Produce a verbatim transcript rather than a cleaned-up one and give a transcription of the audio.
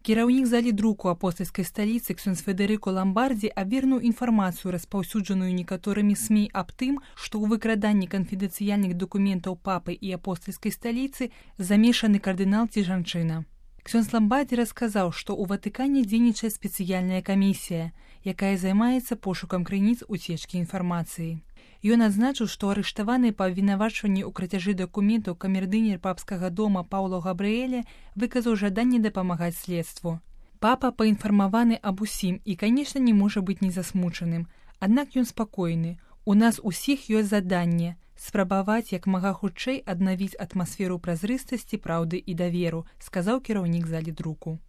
Кіраўнік залі друку апостальскай сталіцы ксёндз Федэрыко Ламбардзі абвергнуў інфармацыю, распаўсюджаную некаторымі СМІ аб тым, што ў выкраданні канфідэнцыяльных дакументаў папы і апостальскай сталіцы замешаны кардынал ці жанчына. Ксёндз Ламбардзі расказаў, што ў Ватыкане дзейнічае спецыяльная камісія, якая займаецца пошукам крыніц уцечкі інфармацыі. Ён адзначыў, што арыштаваны па абвінавачванні ў крацяжы дакументаў камердынер папскага дома Паўло Габрыэле выказаў жаданне дапамагаць следству. Папа паінфармаваны аб усім і, канешне, не можа быць незасмучаным. Аднак ён спакойны. У нас усіх ёсць заданне спрабаваць як мага хутчэй аднавіць атмасферу празрыстасці, праўды і даверу, сказаў кіраўнік залі друку.